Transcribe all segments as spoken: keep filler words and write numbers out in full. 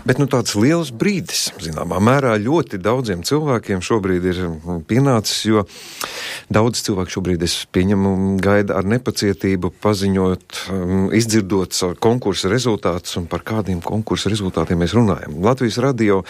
Bet nu tāds liels brīdis, zināmā mērā, ļoti daudziem cilvēkiem šobrīd ir pienācis, jo daudz cilvēku šobrīd, es pieņemu, gaida ar nepacietību paziņot, izdzirdot konkursa rezultātus un par kādiem konkursa rezultātiem mēs runājam. Latvijas radio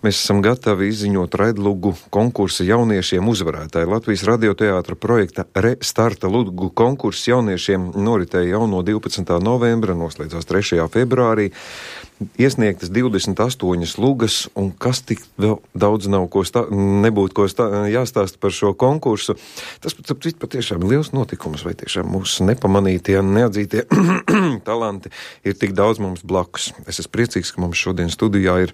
mēs esam gatavi izziņot raidlugu konkursa jauniešiem uzvarētāji. Latvijas radioteātra projekta Restarta lugu konkurss jauniešiem noritēja jau no divpadsmitā novembra, noslēdzās trešajā februārī. Iesniegtas divdesmit astoņas lugas, un kas tik vēl daudz nav ko stā, nebūtu ko stā, jāstāsta par šo konkursu. Tas pat patiešām ir liels notikums, vai tiešām mūsu nepamanītie un neatzītie talanti ir tik daudz mums blakus. Es esmu priecīgs, ka mums šodien studijā ir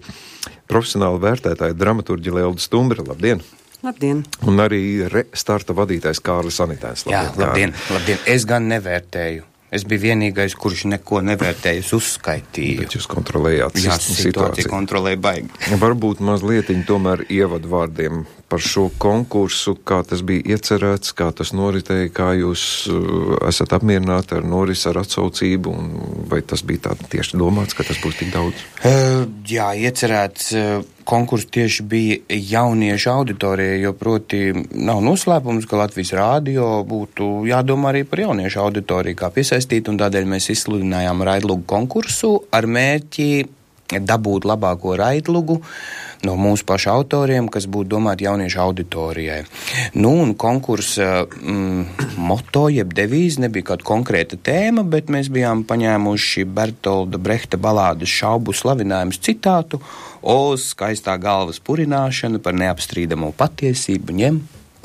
profesionāli vērtētāja dramaturģi Lelda Stumbra. Labdien! Labdien! Un arī Restarta vadītājs Kārlis Anitēns. Jā, labdien, labdien! Es gan nevērtēju. Es biju vienīgais, kurš neko nevērtēja, es uzskaitīju. Bet jūs kontrolējāt Jā, situāciju. situāciju kontrolēja baigi. Varbūt mazlietiņi tomēr ievadvārdiem par šo konkursu, kā tas bija iecerēts, kā tas noritēja, kā jūs uh, esat apmierināti ar norisi, ar atsaucību, un vai tas bija tā tieši domāts, ka tas būs tik daudz? Uh, jā, iecerēts uh, konkurss tieši bija jauniešu auditorijai, jo proti nav noslēpums, ka Latvijas radio būtu jādomā arī par jauniešu auditoriju, kā piesaistīt, un tādēļ mēs izsludinājām raidlugu konkursu ar mērķi dabūt labāko raidlugu no mūsu pašu autoriem, kas būtu domāti jauniešu auditorijai. Nu, un konkursa mm, moto, jeb devīze, nebija kāda konkrēta tēma, bet mēs bijām paņēmuši Bertolda Brehta balādes Šaubu slavinājums citātu: O, skaistā galvas purināšana par neapstrīdamo patiesību ņem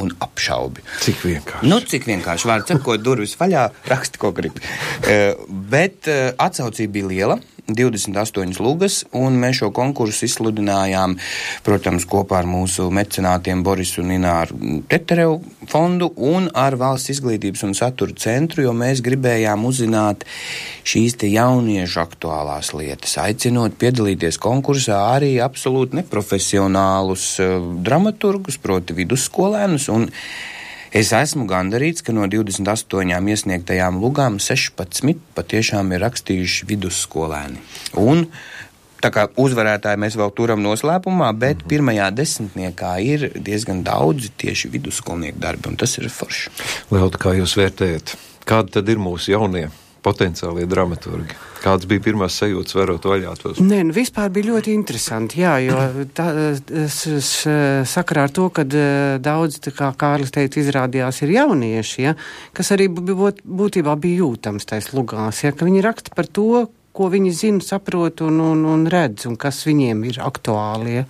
un apšaubi. Cik vienkārši. Nu, cik vienkārši. Vārds sakot, durvis vaļā, raksti, ko grib. Uh, bet uh, atsaucība bija liela. divdesmit astoņas lugas, un mēs šo konkursu izsludinājām, protams, kopā ar mūsu mecenātiem Borisu un Ināru Teterevu fondu un ar Valsts izglītības un satura centru, jo mēs gribējām uzzināt šīs te jauniešu aktuālās lietas, aicinot piedalīties konkursā arī absolūti neprofesionālus uh, dramaturgus, proti vidusskolēnus, un es esmu gandarīts, ka no divdesmit astoņām iesniegtajām lugām sešpadsmit patiešām ir rakstījuši vidusskolēni. Un tā kā uzvarētāji mēs vēl turam noslēpumā, bet mm-hmm. pirmajā desmitniekā ir diezgan daudzi tieši vidusskolnieku darbi, un tas ir forši. Lelda, kā jūs vērtējat? Kādi tad ir mūsu jaunie potenciālie dramaturgi? Kāds bija pirmās sajūtas, varot vaļā tos? Nē, nu vispār bija ļoti interesanti, jā, jo tā, es, es, sakarā ar to, kad daudz, tā kā Kārlis teica, izrādījās ir jaunieši, ja, kas arī būt, būtībā bija jūtams tais lugās, ja, ka viņi raksta par to, ko viņi zina, saprot un, un, un redz, un kas viņiem ir aktuāli, ja.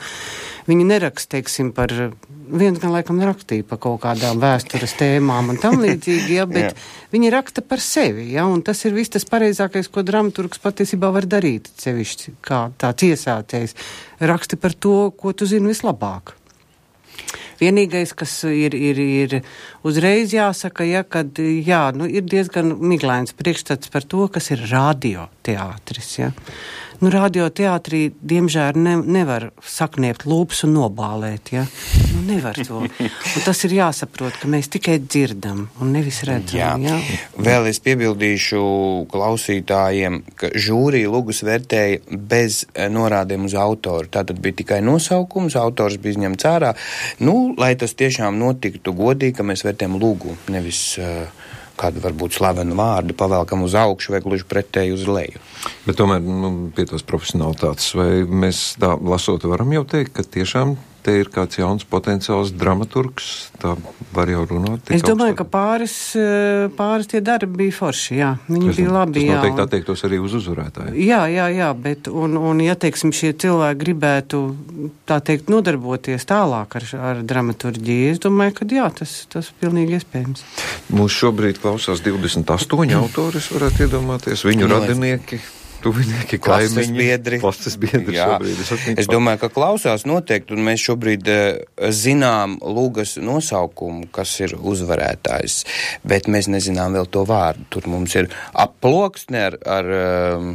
Viņi neraksta, teiksim, par, viens gan laikam rakstīja par kaut kādām vēstures tēmām un tam līdzīgi, ja, bet viņi raksta par sevi, ja, un tas ir viss tas pareizākais, ko dramaturgs patiesībā var darīt, sevišķi kā tāds iesācējs. Raksti par to, ko tu zini vislabāk. Vienīgais, kas ir, ir, ir uzreiz jāsaka, ja, kad, jā, nu, ir diezgan miglains priekšstats par to, kas ir radioteātris, ja. Nu, radioteātrī, diemžēl, ne, nevar sakniept lūpas un nobālēt, ja? Nu, nevar to. Un tas ir jāsaprot, ka mēs tikai dzirdam un nevis redzam, jā. jā? Vēl es piebildīšu klausītājiem, ka žūrija lugas vērtēja bez norādēm uz autoru. Tātad bija tikai nosaukums, autors bija izņemts ārā. Nu, lai tas tiešām notiktu godīgi, ka mēs vērtējam lugu, nevis uh, kādu varbūt slavenu vārdu pavelkam uz augšu vai gluži pretēji uz leju. Bet tomēr, nu, pie tos profesionālitātes, vai mēs tā lasot varam jau teikt, ka tiešām te ir kāds jauns potenciāls dramaturgs, tā var jau runāt? Es domāju, ka pāris, pāris tie darbi bija forši, jā. Viņi tas, bija labi, jā. Tas noteikti attiektos arī uz uzvarētāju. Jā, jā, jā, bet, un, un ja, teiksim, šie cilvēki gribētu, tā teikt, nodarboties tālāk ar, ar dramaturģiju, es domāju, ka jā, tas, tas pilnīgi iespējams. Mūs šobrīd klausās divdesmit astoņi autori, es varētu iedomāties, viņu no, radinieki. Tuvinieki, klases biedri. Klases biedri šobrīd. Es, es domāju, ka klausās noteikti, un mēs šobrīd uh, zinām lugas nosaukumu, kas ir uzvarētājs, bet mēs nezinām vēl to vārdu. Tur mums ir aploksne ar, ar um,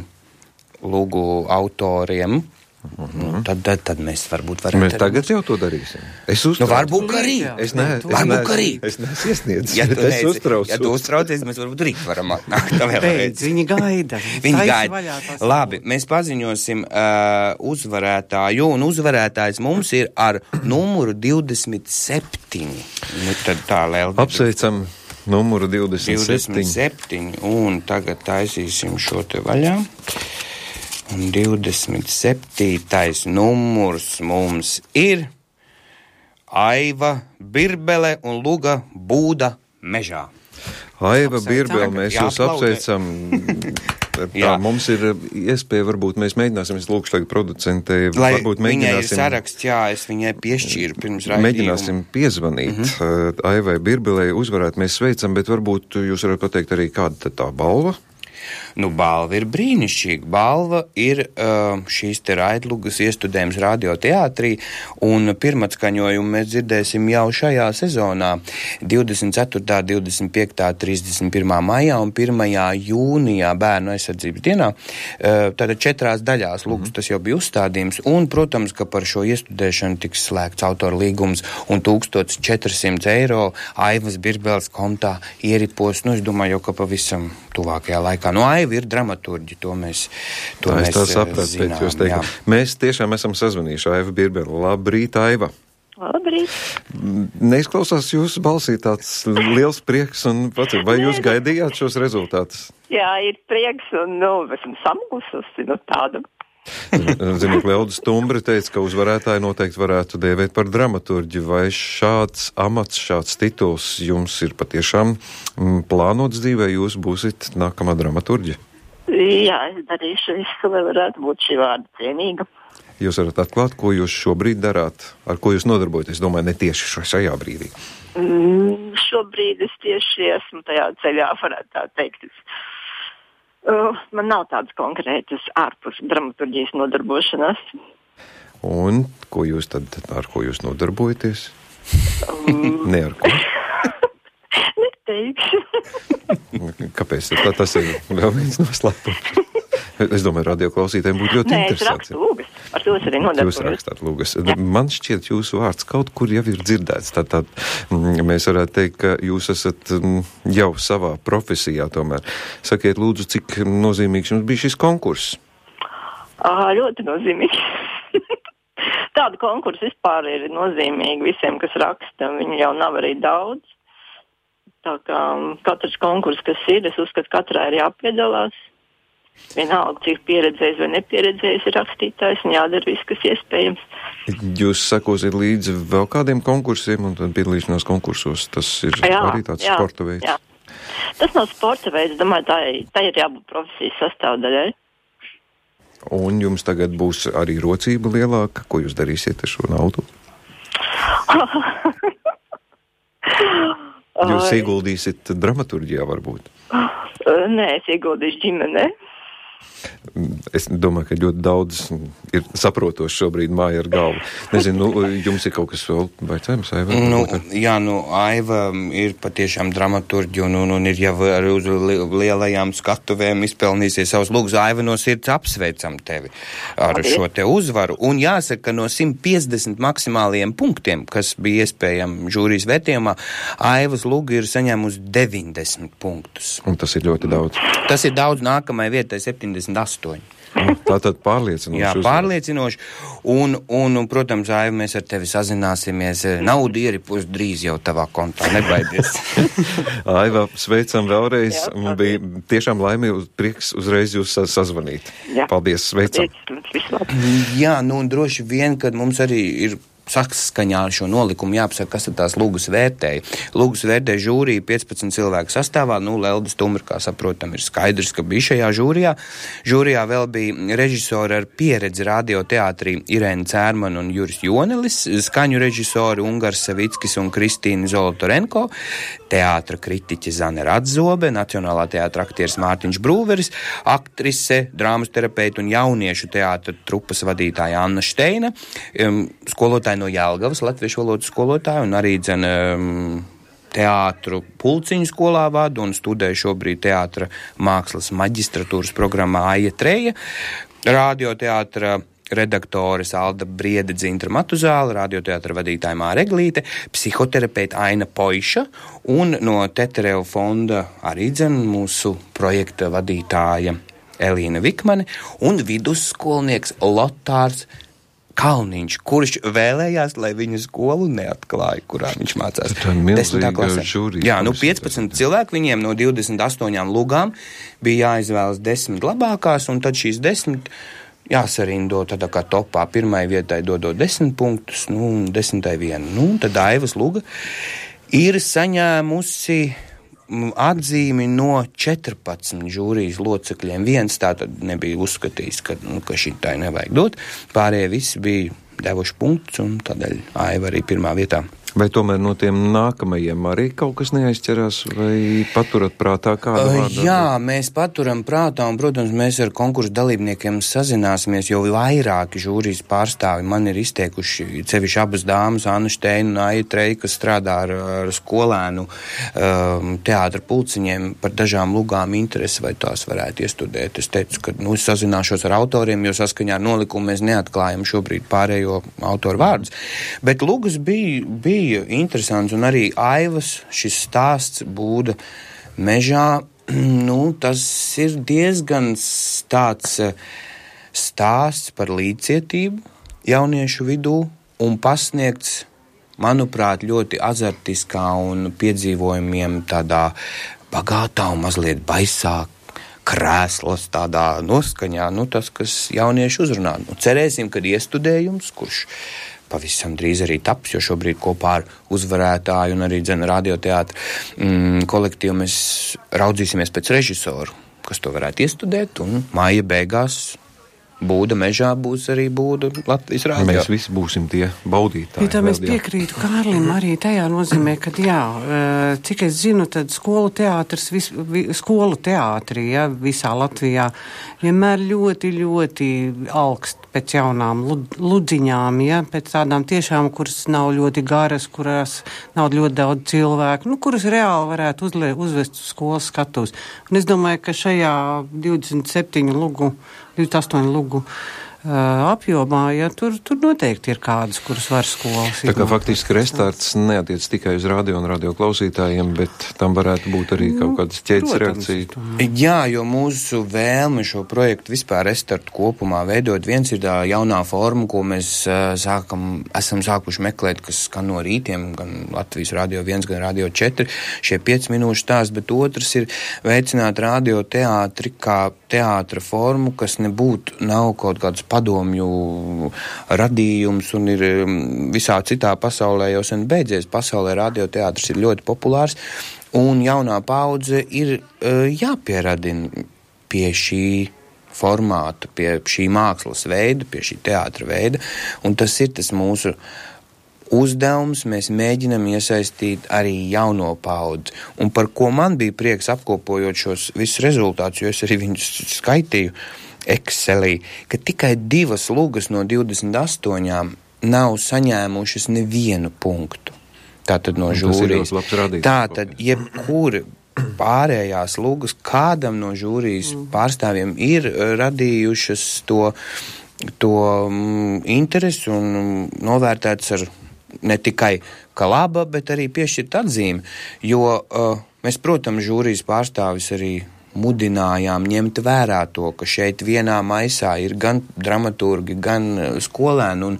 lugu autoriem, Mm-hmm. Nu, tad, tad, tad mēs varbūt varētu... Mēs tagad jau to darīsim. Es uztraucu. Nu, varbūt arī. Es ne, es varbūt arī. Es neesmu iesniedzis, ja bet es uztraucu. Ja tu uztraucies, mēs varbūt rīt varam atnākt. Beidz, viņi gaida. Viņi gaida. Labi, mēs paziņosim uh, uzvarētāju, un uzvarētājs mums ir ar numuru divdesmit septiņi. Nu, tad tā, Lelda. Apsveicam numuru divdesmit septiņi. divdesmit septiņi, un tagad taisīsim šo te vaļā. Un divdesmit septītais numurs mums ir Aiva Birbele un Luga Būda mežā. Aiva Birbele, mēs jūs apsveicam. Tā, mums ir iespēja, varbūt mēs mēģināsim, es lūkšu tagad producentei, varbūt mēģināsim... Viņai ir saraksts, jā, es viņai piešķīru pirms raidījuma. Mēģināsim piezvanīt mm-hmm. Aivai Birbelei, uzvarēt mēs sveicam, bet varbūt jūs varat pateikt arī, kāda tā balva? Nu, balva ir brīnišķīga. Balva ir uh, šīs te raidlugas iestudējums radioteātrī, un pirmatskaņojumu mēs dzirdēsim jau šajā sezonā divdesmit ceturtā, divdesmit piektā, trīsdesmit pirmā maijā un pirmajā jūnijā Bērnu aizsardzības dienā. Uh, tātad četrās daļās lugas tas jau bija uzstādījums, un, protams, ka par šo iestudēšanu tiks slēgts autora līgums un tūkstoš četri simti eiro Aivas Birbeles kontā ieripos, nu, es domāju, jau ka pavisam tuvākajā laikā. Nu, Aiva ir dramaturģi, to mēs, to tā, mēs tā sapratu, zinām. Pēc jūs teikt. Mēs tiešām esam sazvanījuši Aiva Birbele. Labrīt, Aiva! Labrīt! Neizklausās jūsu balsī tāds liels prieks, un vai jūs gaidījāt šos rezultātus? Jā, ir prieks, un, nu, esmu samulsusi, nu, tādu. Ziniet, Lelda Stumbri teica, ka uzvarētāji noteikti varētu dēvēt par dramaturģi. Vai šāds amats, šāds tituls jums ir patiešām plānots dzīvē, jūs būsit nākamā dramaturģi? Jā, es darīšu visu, lai varētu būt šī vārda cienīga. Jūs varat atklāt, ko jūs šobrīd darāt, ar ko jūs nodarbojaties, domāju, ne tieši šajā brīdī? Mm, šobrīd es tieši esmu tajā ceļā, varētu tā teikt. Uh, man nav tādas konkrētas ārpus dramaturģijas nodarbošanās. Un ko jūs tad, ar ko jūs nodarbojaties? Um... ne ar ko? Neteikšu. Kāpēc? Tā, tas ir vēl viens noslēpums. Es domāju, radioklausītājiem būtu ļoti Nē, interesanti. Nē, es rakstu lūgas. Ar to es arī nodarbojos. Jūs rakstāt lūgas. Ja. Man šķiet, jūsu vārds kaut kur jau ir dzirdēts. Tad, tad mēs varētu teikt, ka jūs esat jau savā profesijā tomēr. Sakiet, lūdzu, cik nozīmīgs jums bija šis konkurss? Ā, ļoti nozīmīgs. Tāda konkursa vispār ir nozīmīga visiem, kas raksta. Viņu jau nav arī daudz. Tā kā katrs konkurss, kas ir, es uzskatu, katrā ir jāpiedalās. Vienalga, cik pieredzējis vai nepieredzējis ir rakstītājs un jādara viss, kas iespējams. Jūs sekosiet līdzi vēl kādiem konkursiem un tad piedalīšanās konkursos, tas ir jā, arī tāds jā, sporta veids? Jā. Tas nav sporta veids, domāju, tā, tā ir jābūt profesijas sastāvdaļai. Un jums tagad būs arī rocība lielāka, ko jūs darīsiet ar šo naudu? Jūs ieguldīsiet dramaturģijā varbūt? Nē, es ieguldīšu ģimenē. Es domāju, ka ļoti daudz ir saprotoši šobrīd māja ar galvu. Nezinu, nu, jums ir kaut kas vēl vaicājums, Aiva? Nu, jā, nu, Aiva ir patiešām dramaturģi un, un, un ir jau arī uz lielajām skatuvēm izpelnīsies savus lūgus. Aiva, no sirds apsveicam tevi ar Paldies. Šo te uzvaru. Un jāsaka, ka no simt piecdesmit maksimālajiem punktiem, kas bija iespējami žūrijas vērtījumā, Aivas lūga ir saņēmusi deviņdesmit punktus. Un tas ir ļoti daudz. Tas ir daudz, nākamai vietai septiņdesmit astoņi. Tā tad pārliecinoši. Jā, pārliecinoši. Un, un, un, protams, Aiva, mēs ar tevi sazināsimies. Naudu ieripos drīz jau tavā kontā, nebaidies. Aiva, sveicam vēlreiz. Jā, bija tiešām laimīgi prieks uzreiz jūs sazvanīt. Jā. Paldies, sveicam. Jā, nu un droši vien, kad mums arī ir saskaņā ar šo nolikumu jāpasaka, kas ir tās lūgas vērtēja. Lūgas vērtēja žūrija piecpadsmit cilvēku sastāvā, nu, Lelda Stumbri, kā saprotam, ir skaidrs, ka bija šajā žūrijā. Žūrijā vēl bija režisori ar pieredzi radioteātrī Irēna Cērmana un Juris Jonelis, skaņu režisori Ungars Savickis un Kristīna Zolotorenko, teātra kritiķe Zane Radzobe, Nacionālā teātra aktieris Mārtiņš Brūveris, aktrise, drāmas terapeita un jauniešu teātra trupas vadītāja Anna Šteina, um, skolotāja no Jelgavas, latviešu valodas skolotāja, un arī dzen um, teātru pulciņu skolā vada un studēja šobrīd teātra mākslas maģistratūras programmā Aija Treja, radioteātra redaktore Alda Briede Dzintra Matuzāla, radioteātra vadītāja Māra Eglīte, psihoterapeita Aina Poiša un no Tetereva fonda arī dzen mūsu projekta vadītāja Elīna Vikmane un vidusskolnieks Lotārs Kalniņš, kurš vēlējās, lai viņu skolu neatklāja, kurā viņš mācās. Tā ir milzīga žūrija. Jā, nu piecpadsmit cilvēki, viņiem no divdesmit astoņām lugām bija jāizvēlas desmit labākās, un tad šīs desmit jāsarindo tādā kā topā. Pirmai vietai dodot desmit punktus, nu, un desmitai vienu. Nu, tad Aivas luga ir saņēmusi atzīmi no četrpadsmit žūrijas locekļiem. Viens tātad nebija uzskatījis, ka, nu, ka šitai nevajag dot. Pārējie visi bija devuši punktus, un tādēļ Aiva arī pirmā vietā. Vai tomēr no tiem nākamajiem arī kaut kas neaizķerās, vai paturat prātā kādu vārdu? Jā, mēs paturam prātā, un, protams, mēs ar konkursu dalībniekiem sazināsimies, jo vairāki žūrijas pārstāvi man ir izteikuši, sevišķi abas dāmas, Anna Šteina un Aija Treja, kas strādā ar, ar skolēnu um, teātra pulciņiem par dažām lugām interesi, vai tās varētu iestudēt. Es teicu, ka, nu, es sazināšos ar autoriem, jo saskaņā ar nolikumu mēs neatklājam šobrīd pārējo autoru vārdus. Bet lugas bija, bija interesants, un arī Aivas šis stāsts Būda mežā, nu, tas ir diezgan tāds stāsts par līdzcietību jauniešu vidū un pasniegts, manuprāt, ļoti azartiskā un piedzīvojumiem tādā bagātā un mazliet baisā krēslas tādā noskaņā, nu, tas, kas jaunieši uzrunā. Nu, cerēsim, kad iestudējums, kurš pavisam drīz arī taps, jo šobrīd kopā ar uzvarētāju un arī dzene radioteātra mm, kolektīvu mēs raudzīsimies pēc režisoru, kas to varētu iestudēt, un māja beigās Būda mežā būs arī Būda Latvijas radio. Mēs visi būsim tie baudītāji. Ja tā mēs piekrītu Kārlim arī tajā nozīmē, ka jā, cik es zinu, tad skolu teātris, vis, vi, skolu teātri, ja, visā Latvijā vienmēr ļoti, ļoti augst pēc jaunām ludziņām, ja, pēc tādām tiešām, kuras nav ļoti garas, kurās nav ļoti daudz cilvēku, nu, kuras reāli varētu uzle, uzvest uz skolas skatus. Un es domāju, ka šajā divdesmit septiņu lugu divdesmit astoņu lugu uh, apjomā, ja tur, tur noteikti ir kādas, kuras var skolas. Tā kā faktiski restarts neatiec tikai uz radio un radio klausītājiem, bet tam varētu būt arī kaut kādas ķēdes reakcija. Jā, jo mūsu vēlme šo projektu vispār restartu kopumā veidot, viens ir tā jaunā forma, ko mēs uh, sākam, esam sākuši meklēt, kas skan no rītiem, gan Latvijas radio viens, gan radio četri, šie pieci minūšu stāsti, bet otrs ir veicināt radio teātri kā teātra formu, kas nebūtu, nav kaut kāds padomju radījums un ir visā citā pasaulē jau sen beidzies. Pasaulē radioteātris ir ļoti populārs un jaunā paudze ir uh, jāpieradina pie šī formāta, pie šī mākslas veida, pie šī teātra veida, un tas ir tas mūsu uzdevums, mēs mēģinam iesaistīt arī jauno paudzi. Un par ko man bija prieks apkopojot šos visus rezultātus, jo es arī viņus skaitīju Excelī, ka tikai divas lugas no divdesmit astoņām nav saņēmušas nevienu punktu. Tātad no žūrijas. Tātad jebkuri pārējās lugas kādam no žūrijas pārstāvjiem ir radījušas to, to mm, interesi un novērtēts ar ne tikai kā laba, bet arī piešķirt atzīmi, jo uh, mēs, protams, žūrijas pārstāvis arī mudinājām ņemt vērā to, ka šeit vienā maisā ir gan dramaturgi, gan skolēni, un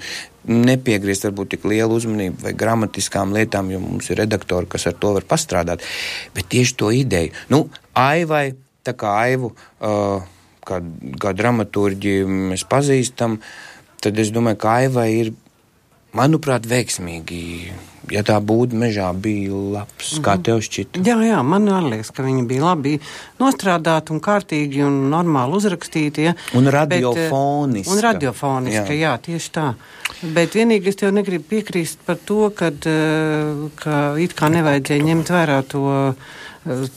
nepiegriezt varbūt tik lielu uzmanību vai gramatiskām lietām, jo mums ir redaktori, kas ar to var pastrādāt, bet tieši to ideju. Nu, Aivai, tā kā Aivu, uh, kā, kā dramaturģi mēs pazīstam, tad es domāju, ka Aivai ir, manuprāt, veiksmīgi, ja tā Būda mežā bija labs, mm-hmm. Kā tev šķita? Jā, jā, man liekas, ka viņi bija labi nostrādāti un kārtīgi un normāli uzrakstīti. Ja? Un radiofoniski. Un radiofoniski, jā. jā, tieši tā. Bet vienīgi es tev negribu piekrīst par to, kad, ka it kā nevajadzēja ņemt vērā to,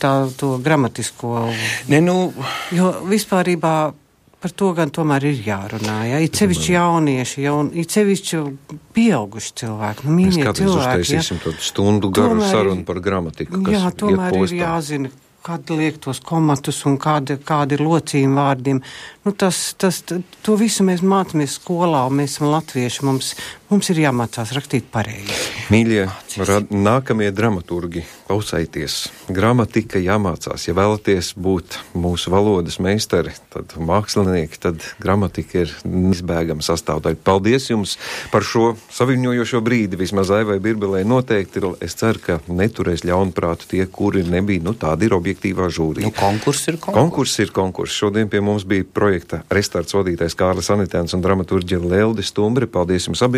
tā, to gramatisko. Ne, nu... Jo vispārībā par to gan tomēr ir jārunā, ja? It sevišķi jaunieši, jaun, it sevišķi pieauguši cilvēki, nu mīļie cilvēki. Mēs kādreiz uztaisīsim ja? Tādu stundu garu sarunu par gramatiku, kas jā, tomēr iet postā. Ir jāzina, kādi liek tos komatus un kādi, kādi ir locījumi vārdiem. Nu, tas, tas, to visu mēs mācāmies skolā, un mēs esam latvieši, mums, mums ir jāmācās rakstīt pareizi. Mīļie, rad, nākamie dramaturgi, klausaities, gramatika jāmācās. Ja vēlaties būt mūsu valodas meistari, tad mākslinieki, tad gramatika ir izbēgama sastāvdaļa. Paldies jums par šo saviņojošo brīdi, vismaz Aivai Birbelei noteikti. Es ceru, ka neturēs ļaunprātu tie, kuri nebija, nu tādi ir objektīvā žūrī. Nu, konkurss ir konkurss. Konkurss ir konkurss. Šodien pie mums bija projekta Restarts vadītājs Kārlis Anitēns un dramaturģe Lelde Stumbri. Paldies jums abiem!